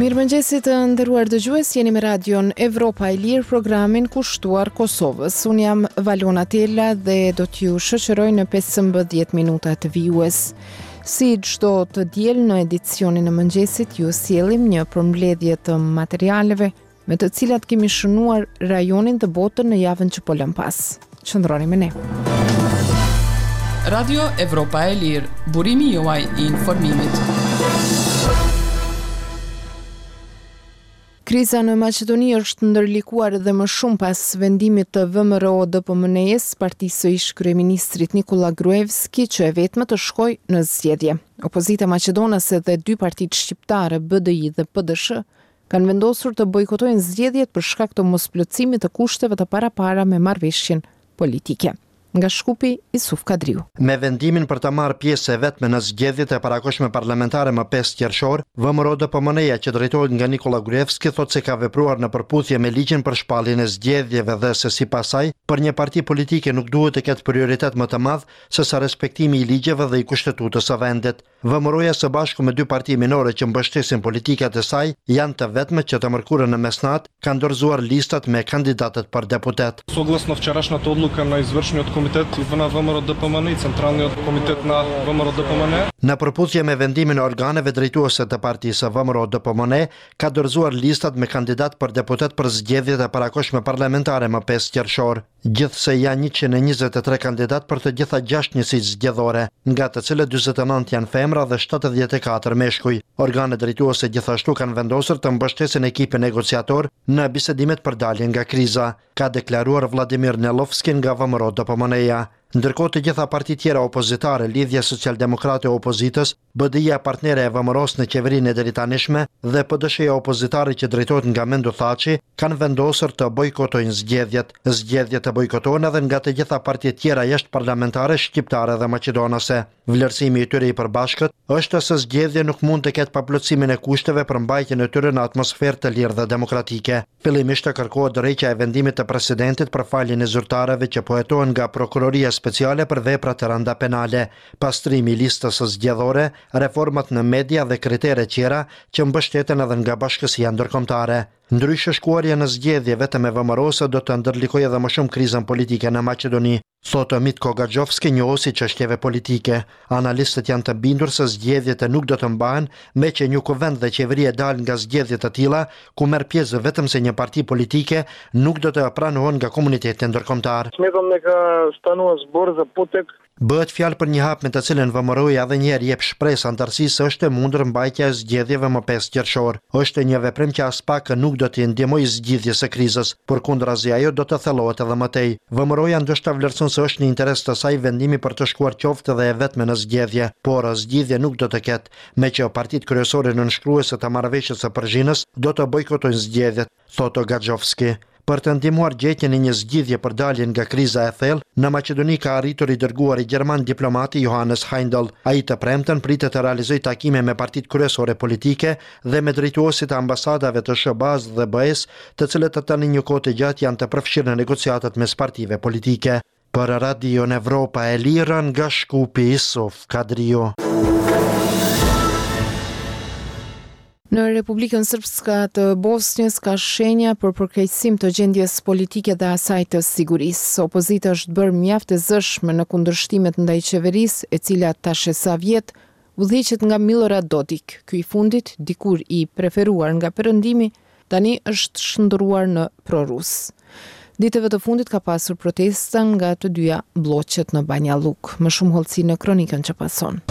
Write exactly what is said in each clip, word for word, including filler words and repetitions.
Mirëmëngjesi të nderuar dëgjues, jeni me Radion Evropa e Lirë, programin kushtuar Kosovës. Unë jam Valona Tela dhe do t'ju shoqëroj në pesëmbëdhjetë minutat vijues. Si çdo të diel në edicionin e mëngjesit, ju sjellim një përmbledhje të materialeve me të cilat kemi shënuar rajonin dhe botën në javën që po lëm pas. Qëndroni me ne. Radio Evropa e Lirë, burimi juaj i informimit. Kriza në Maqedoni është ndërlikuar edhe më shumë pas vendimit të V M R O D P M N E-s, partisë së ish kryeministrit Nikola Gruevski, që e vetme të shkojë në zgjedhje. Opozita maqedonase dhe dy partitë shqiptare, B D I dhe P D S H, kanë vendosur të bojkotojnë zgjedhjet për shkak të mosplotësimit të kushteve të parapara me marrëveshjen politike. Nga Shkupi, Isuf Kadriu. Me vendimin për të marrë pjesë e vetme në zgjedhjet e parakohshme parlamentare më pesë qershor, V M R O D P M N-ja që drejtohet nga Nikola Gruevski thotë se ka vepruar në përputhje me ligjin për shpalljen e zgjedhjeve dhe se sipas saj, për një parti politike nuk duhet të ketë prioritet më të madh se sa respektimi i ligjeve dhe i kushtetutës së vendit. V M R O-ja së bashku me dy parti minore që mbështesin politikat e saj janë të vetme që të mërkurën në mesnat kanë dorëzuar listat me kandidatët për deputet. Согласно вчерашната одлука на извршниот комитет на V M R O D P M N и Централниот комитет на V M R O D P M N. Në përputhje me vendimin e organeve drejtuese të partisë V M R O D P M N ka dorëzuar listat me kandidat për deputet për zgjedhjet e parakohshme parlamentare më pesë qershor. Gjithsej janë njëqind e njëzet e tre kandidat për të gjitha gjashtë njësitë zgjedhore, nga të cilët dyzet e nëntë janë femra dhe shtatëdhjetë e katër meshkuj. Organet drejtuese gjithashtu kanë vendosur të mbështesin ekipin negociator në bisedimet për daljen nga kriza, ka deklaruar Vladimir Nelovski nga V M R O D P M N-ja. Ndërkohë të gjitha partitë tjera opozitare, Lidhja Socialdemokrate e Opozitës, B D I-ja partnere e V M R O-s në qeverinë e deritanishme dhe P D S H-ja opozitare që drejtohet nga Mendu Thaçi, kanë vendosur të bojkotojnë zgjedhjet. Zgjedhjet të bojkotohen edhe nga të gjitha partitë tjera jashtë parlamentare shqiptare dhe maqedonase. Vlerësimi i tyre i përbashkët është se zgjedhje nuk mund të ketë paplotësimin e kushteve për mbajtjen e tyre në atmosferë të lirë dhe demokratike. Fillimisht kërkohet dorëheqja e vendimit të presidentit për faljen e zyrtarëve që po hetohen nga Prokuroria Speciale për vepra të rënda penale, pastrimi i listës së zgjedhore, reformat në media dhe kritere tjera që mbështeten edhe nga bashkësia ndërkombëtare. Ndryshe, shkuarja në zgjedhje vetëm me V M R O-së do të ndërlikojë edhe më shumë krizën politike në Maqedoni, thotë Mitko Gaxhovski, njohës i çështjeve politike. Analistët janë të bindur se zgjedhjet nuk do të mbahen, me që një kuvend dhe qeveri e dalë nga zgjedhje të tilla, ku merr pjesë vetëm se një parti politike, nuk do të pranohen nga komuniteti ndërkombëtar. Smetëm neka stanува zbor za potek. Bëhet fjalë për një hap me të cilën V M R O-ja edhe një herë jep shpresë antarësisë se është e mundur mbajtja e zgjedhjeve më pesë qershor. Është një veprim që as pak nuk do t'i ndihmojë zgjidhjes së krizës, por kundrazi ajo do të thellohet edhe më tej. V M R O-ja ndoshta vlerëson se është në interes të saj vendimi për të shkuar qoftë edhe e vetme në zgjedhje, por zgjidhje nuk do të ketë, me që partitë kryesore nënshkruese të marrëveshjes së Përzhinës do të bojkotojnë zgjedhjet, thotë Gaxhovski. Për të ndihmuar gjetjen e një zgjidhje për daljen nga kriza e thellë, në Maqedoni ka arritur i dërguari gjerman diplomati Johannes Heindel. Ai të premten pritet të realizojë takime me partitë kryesore politike dhe me drejtuesit e ambasadave të S H B A-s dhe B E-s, të cilët tani një kohë të gjatë janë të përfshirë në negociatat mes partive politike. Për Radion Evropa e Lirë nga Shkupi, Isuf Kadriu. Në Republikën Srpska të Bosnjës ka shenja për përkeqësim të gjendjes politike dhe asaj të sigurisë. Opozita është bërë mjaft e zëshme në kundërshtimet ndaj qeverisë, e cila tash e sa vjet udhëhiqet nga Milorad Dodik. Ky i fundit, dikur i preferuar nga Perëndimi, tani është shndërruar në prorus. Ditëve të fundit ka pasur protesta nga të dyja blloqet në Banja Lluk. Më shumë hollësi në kronikën që pason.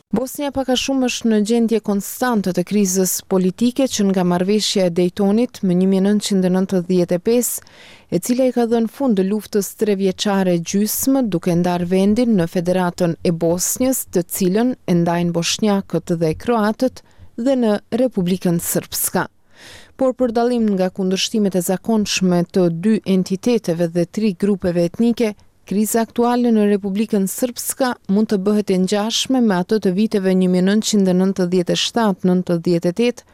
Bosnja pak a shumë është në gjendje konstante të krizës politike që nga marrëveshja e Daytonit më një mijë e nëntëqind e nëntëdhjetë e pesë, e cila i ka dhënë fund luftës trevjeçare gjysmë duke ndarë vendin në Federatën e Bosnjës, të cilën e ndajnë boshnjakët dhe kroatët, dhe në Republikën Srpska. Por për dallim nga kundërshtimet e zakonshme të dy entiteteve dhe tri grupeve etnike, kriza aktuale në Republikën Srpska mund të bëhet e ngjashme me atë të viteve një mijë e nëntëqind e nëntëdhjetë e shtatë nëntëdhjetë e tetë,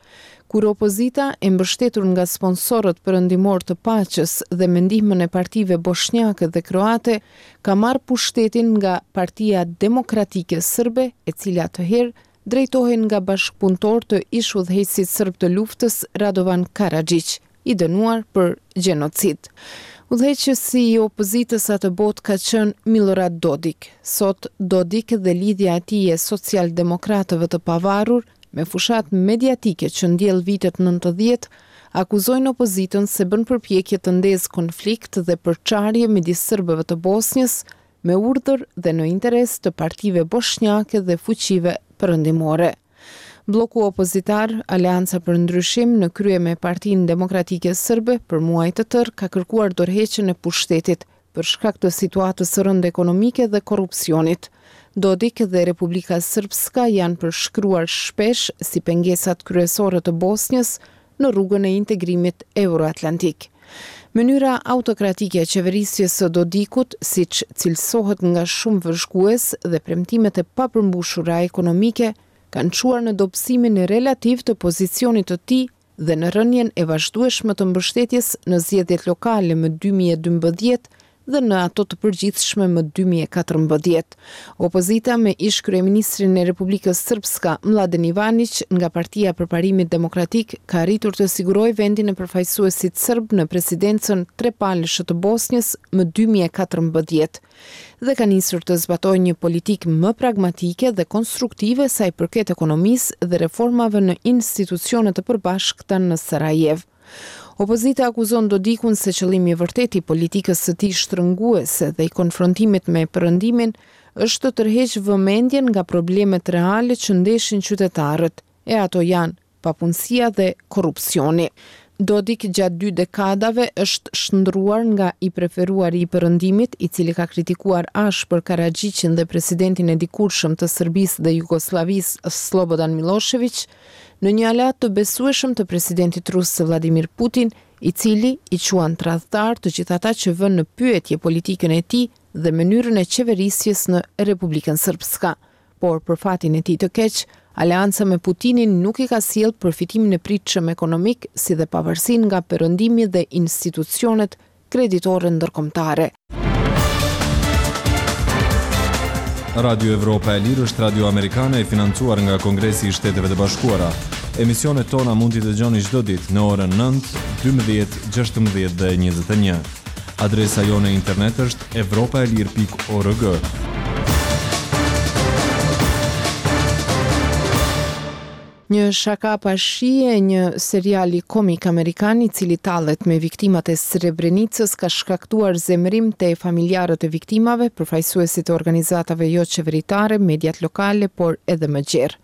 kur opozita e mbështetur nga sponsorët perëndimor të paqes dhe me ndihmën e partive boshnjake dhe kroate ka marrë pushtetin nga Partia Demokratike Sërbe, e cila atëherë drejtohej nga bashkëpunëtorë të ish-udhëheqësit serb të luftës Radovan Karaxhiq, i dënuar për gjenocid. Udhëheqësi i opozitës atëbotë ka qenë Milorad Dodik. Sot Dodik dhe lidhja e tij e socialdemokratëve të pavarur me fushatë mediatike që ndjell vitet nëntëdhjetë, akuzojnë opozitën se bën përpjekje të ndezë konflikt dhe përçarje midis serbëve të Bosnjës me urdhër dhe në interes të partive boshnjake dhe fuqive perëndimore. Blloku opozitar, Aleanca për Ndryshim, në krye me Partinë Demokratike Serbe, për muaj të tërë ka kërkuar dorëheqjen e pushtetit për shkak të situatës së rëndë ekonomike dhe korrupsionit. Dodik dhe Republika Srpska janë përshkruar shpesh si pengesat kryesore të Bosnjës në rrugën e integrimit euroatlantik. Mënyra autokratike e qeverisjes së Dodikut, siç cilësohet nga shumë vëzhgues, dhe premtimet e papërmbushura ekonomike kanë çuar në dobësimin relativ të pozicionit të tij dhe në rënien e vazhdueshme të mbështetjes në zgjedhjet lokale më dy mijë e dymbëdhjetë dhe në ato të përgjithshme më dy mijë e katërmbëdhjetë. Opozita me ish-kryeministrin e Republikës Srpska, Mladen Ivanić, nga Partia e Përparimit Demokratik, ka arritur të sigurojë vendin e përfaqësuesit serb në presidencën trepalëshe të Bosnjës më dy mijë e katërmbëdhjetë dhe ka nisur të zbatojë një politikë më pragmatike dhe konstruktive sa i përket ekonomisë dhe reformave në institucionet e përbashkëta në Sarajevo. Opozita akuzon Dodikun se qëllimi i vërtetë i politikës së tij shtrënguese dhe i konfrontimit me perëndimin është të tërheqë vëmendjen nga problemet reale që ndeshin qytetarët, e ato janë papunësia dhe korrupsioni. Dodik gjatë dy dekadave është shndruar nga i preferuari i perëndimit, i cili ka kritikuar ashpër Karaxhiqin dhe presidentin e dikurshëm të Serbisë dhe Jugosllavisë Slobodan Milošević, në një aleat të besueshëm të presidentit rus Vladimir Putin, i cili i quan tradhtar të gjithë ata që vënë në pyetje politikën e tij dhe mënyrën e qeverisjes në Republikën Srpska. Por për fatin e tij të keq, aleanca me Putinin nuk i ka sjellë përfitimin e pritshëm ekonomik, si dhe pavarësinë nga perëndimi dhe institucionet kreditore ndërkombëtare. Radio Evropa e Lirë është radio amerikane e financuar nga Kongresi i Shteteve të Bashkuara. Emisionet tona mund t'i dëgjoni çdo ditë në orën nëntë, dymbëdhjetë, gjashtëmbëdhjetë dhe njëzet e një. Adresa jonë e internet është evropa e lirë pikë org. Një shaka pa shije, një seriali komik amerikan i cili tallet me viktimat e Srebrenicës ka shkaktuar zemërim te familjarët e viktimave, përfaqësuesit e organizatave jo qeveritare, mediat lokale, por edhe më gjerë.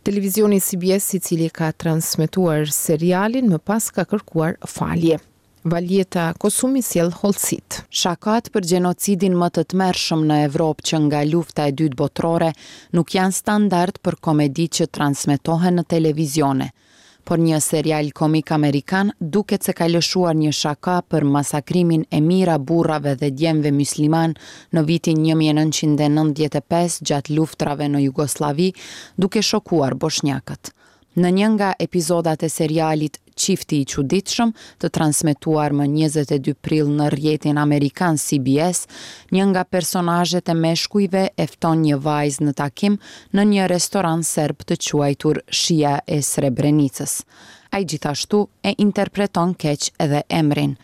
Televizioni C B S, i cili ka transmetuar serialin, më pas ka kërkuar falje. Valjeta Kosumi sjell hollësit. Shakat për gjenocidin më të tmerrshëm në Evropë që nga lufta e dytë botërore nuk janë standard për komedi që transmetohen në televizione. Por një serial komik amerikan duket se ka lëshuar një shaka për masakrimin e mijëra burrave dhe djemve musliman në vitin një mijë e nëntëqind e nëntëdhjetë e pesë gjatë luftrave në Jugosllavi, duke shokuar boshnjakët. Në një nga epizodat e serialit Çifti i çuditshëm, të transmetuar më njëzet e dy prill në rrjetin amerikan C B S, një nga personazhet e meshkujve e fton një vajzë në takim në një restoran serb të quajtur Shija e Srebrenicës. Ai gjithashtu e interpreton keq edhe emrin.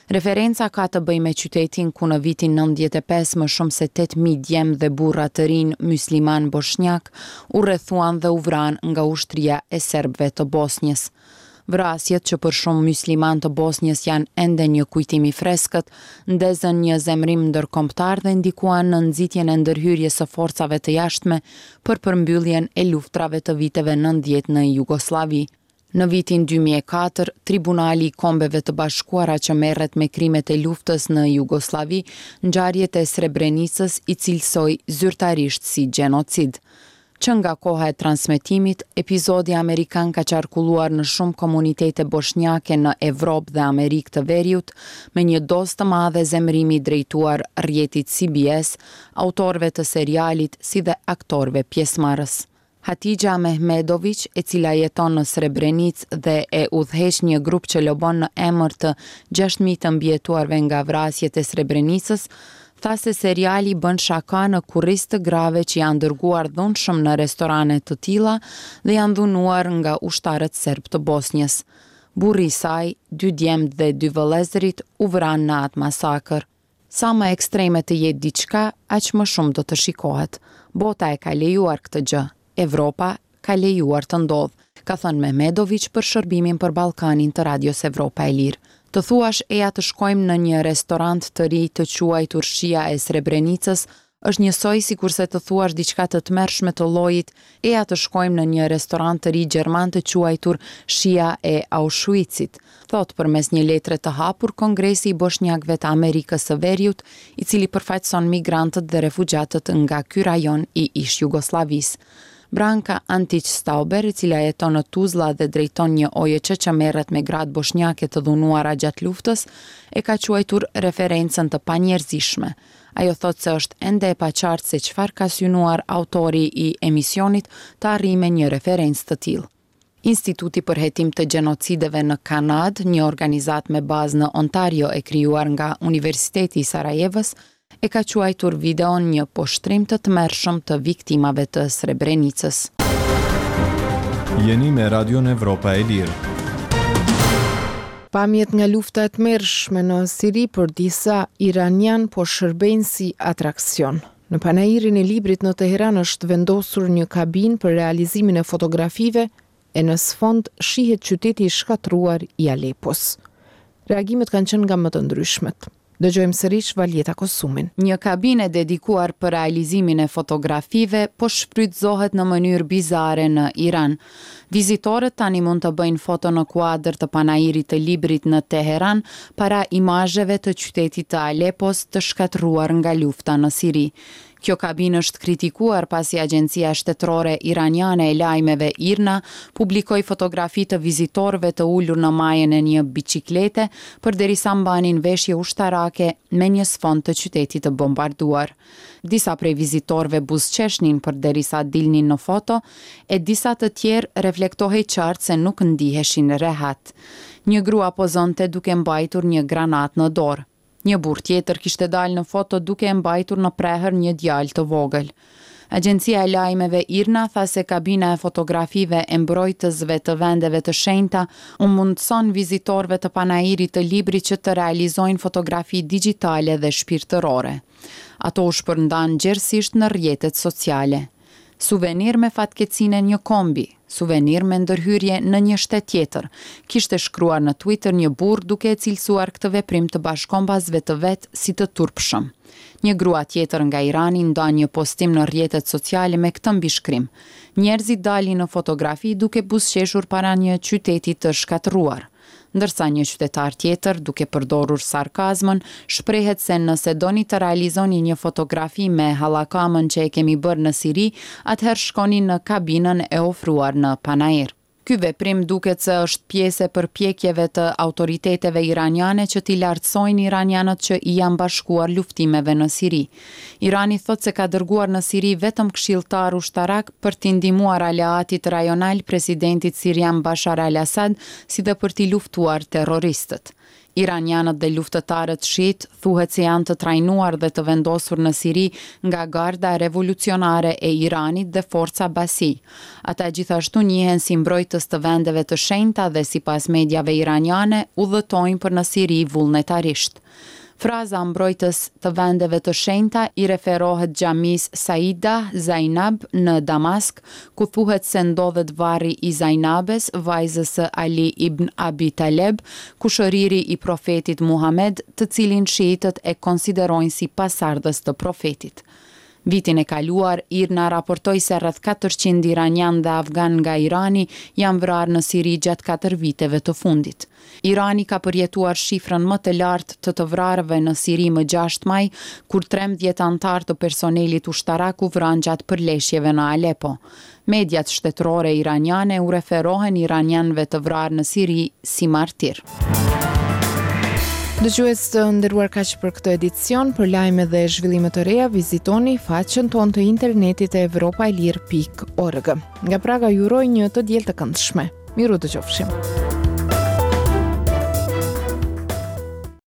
Referenca ka të bëjë me qytetin ku në vitin nëntëdhjetë e pesë më shumë se tetë mijë djem dhe burra të rinj musliman boshnjak u rrethuan dhe u vranë nga ushtria e serbëve të Bosnjës. Vrasjet që për shumë musliman të Bosnjës janë ende një kujtim i freskët, ndezën një zemërim ndërkombëtar dhe ndikuan në nxitjen e ndërhyrjes së forcave të jashtme për përmbylljen e luftrave të viteve nëntëdhjetë në Jugosllavi. Në vitin dy mijë e katër, Tribunali i Kombeve të Bashkuara që merret me krimet e luftës në Jugosllavi, ngjarjet e Srebrenicës i cilësoi zyrtarisht si gjenocid. Që nga koha e transmetimit, epizodi amerikan ka qarkulluar në shumë komunitete boshnjake në Evropë dhe Amerikë të Veriut, me një dozë të madhe zemërimi drejtuar rrjetit C B S, autorëve të serialit si dhe aktorëve pjesëmarrës. Hatixha Mehmedović, e cila jeton në Srebrenicë dhe e udhëheq një grup që lobon në emër të gjashtë mijë të mbijetuarve nga vrasjet e Srebrenicës, tha se seriali bën shaka në kurriz të grave që janë dërguar dhunshëm në restorane të tilla dhe janë dhunuar nga ushtarët serbë të Bosnjës. Burri i saj, dy djemtë dhe dy vëllezërit u vranë në atë masakër. Sa më ekstreme të jetë diçka, aq më shumë do të shikohet. Bota e ka lejuar këtë gjë. Evropa ka lejuar të ndodhë, ka thënë Mehmedović për shërbimin për Ballkanin të Radios Evropa e Lirë. Të thuash eja të shkojmë në një restorant të ri të quajtur Shija e Srebrenicës është njësoj sikurse të thuash diçka të tmerrshme të llojit eja të shkojmë në një restorant të ri gjerman të quajtur Shija e Auschwitzit, thotë përmes një letre të hapur Kongresi i Boshnjakëve të Amerikës së Veriut, i cili përfaqëson migrantët dhe refugjatët nga ky rajon i ish-Jugosllavisë. Branka Antić Stauber, e cila jeton në Tuzla dhe drejton një O J Ç që merret me gratë boshnjake të dhunuara gjatë luftës, e ka quajtur referencën të panjerëzishme. Ajo thotë se është ende e paqartë se çfarë ka synuar autori i emisionit të arrijë me një referencë të tillë. Instituti për Hetim të Gjenocideve në Kanadë, një organizatë me bazë në Ontario e krijuar nga Universiteti i Sarajevës, e ka quajtur videon një poshtrim të tmerrshëm të viktimave të Srebrenicës. Jeni me Radion Evropa e Lirë. Pamjet nga lufta e tmerrshme në Siri për disa iranian po shërbejnë si atraksion. Në panairin e librit në Teheran është vendosur një kabinë për realizimin e fotografive e në sfond shihet qyteti i shkatërruar i Alepos. Reagimet kanë qenë nga më të ndryshmet. Dëgjojmë sërish Valjeta Kosumin. Një kabinë e dedikuar për realizimin e fotografive po shfrytëzohet në mënyrë bizare në Iran. Vizitorët tani mund të bëjnë foto në kuadër të panairit të librit në Teheran para imazheve të qytetit të Alepos të shkatërruar nga lufta në Siri. Kjo kabinë është kritikuar pasi Agjencia Shtetërore Iraniane e Lajmeve IRNA publikoi fotografi të vizitorëve të ulur në majën e një biciklete përderisa mbanin veshje ushtarake me një sfond të qytetit të bombarduar. Disa prej vizitorëve buzëqeshnin përderisa dilnin në foto, e disa të tjerë reflektohej qartë se nuk ndiheshin rehat. Një grua pozonte duke mbajtur një granat në dorë. Një burrë tjetër kishte dalë në foto duke e mbajtur në prehër një djalë të vogël. Agjencia e lajmeve IRNA tha se kabina e fotografive e mbrojtësve të vendeve të shenjta u mundëson vizitorëve të panairit të librit që të realizojnë fotografi digjitale dhe shpirtërore. Ato u shpërndan gjerësisht në rrjetet sociale. Suvenir me fatkeqësinë e një kombi, suvenir me ndërhyrje në një shtet tjetër, kishte shkruar në Twitter një burrë duke e cilësuar këtë veprim të bashkombasve të vet si të turpshëm. Një grua tjetër nga Irani nda një postim në rrjetet sociale me këtë mbishkrim. Njerëzit dalin në fotografi duke buzëqeshur para një qyteti të shkatërruar. Ndërsa një qytetar tjetër, duke përdorur sarkazmën, shprehet se nëse doni të realizoni një fotografi me hallakamën që e kemi bërë në Siri, atëherë shkoni në kabinën e ofruar në Panair. Ky veprim duket se është pjesë e përpjekjeve të autoriteteve iraniane që t'i lartësojnë iranianët që i janë bashkuar luftimeve në Siri. Irani thotë se ka dërguar në Siri vetëm këshilltar ushtarak për t'i ndihmuar aleatit rajonal presidentit sirian Bashar al-Assad, si dhe për t'i luftuar terroristët. Iranianët dhe luftëtarët shiit thuhet se janë të trajnuar dhe të vendosur në Siri nga Garda Revolucionare e Iranit dhe Forca Basij. Ata gjithashtu njihen si mbrojtës të vendeve të shenjta dhe sipas mediave iraniane udhëtojnë për në Siri vullnetarisht. Fraza mbrojtës të vendeve të shenjta i referohet xhamisë Saida Zainab në Damask, ku thuhet se ndodhet varri i Zainabes, vajzës së Ali ibn Abi Taleb, kushëriri i profetit Muhamed, të cilin shiitët e konsiderojnë si pasardhës të profetit. Vitin e kaluar, IRNA raportoi se rreth katërqind iranian dhe afgan nga Irani janë vrarë në Siri gjatë katër viteve të fundit. Irani ka përjetuar shifrën më të lartë të të vrarëve në Siri më gjashtë maj, kur trembëdhjetë anëtarë të personelit ushtarak u vranë gjatë përleshjeve në Aleppo. Mediat shtetërore iraniane u referohen iranianëve të vrarë në Siri si martir. Dëgjues të nderuar, kaq për këtë edicion. Për lajme dhe zhvillime të reja vizitoni faqen tonë të internetit e evropaelire pikë org. Nga Praga ju uroj një të diel të këndshme. Miru dëgjofshim.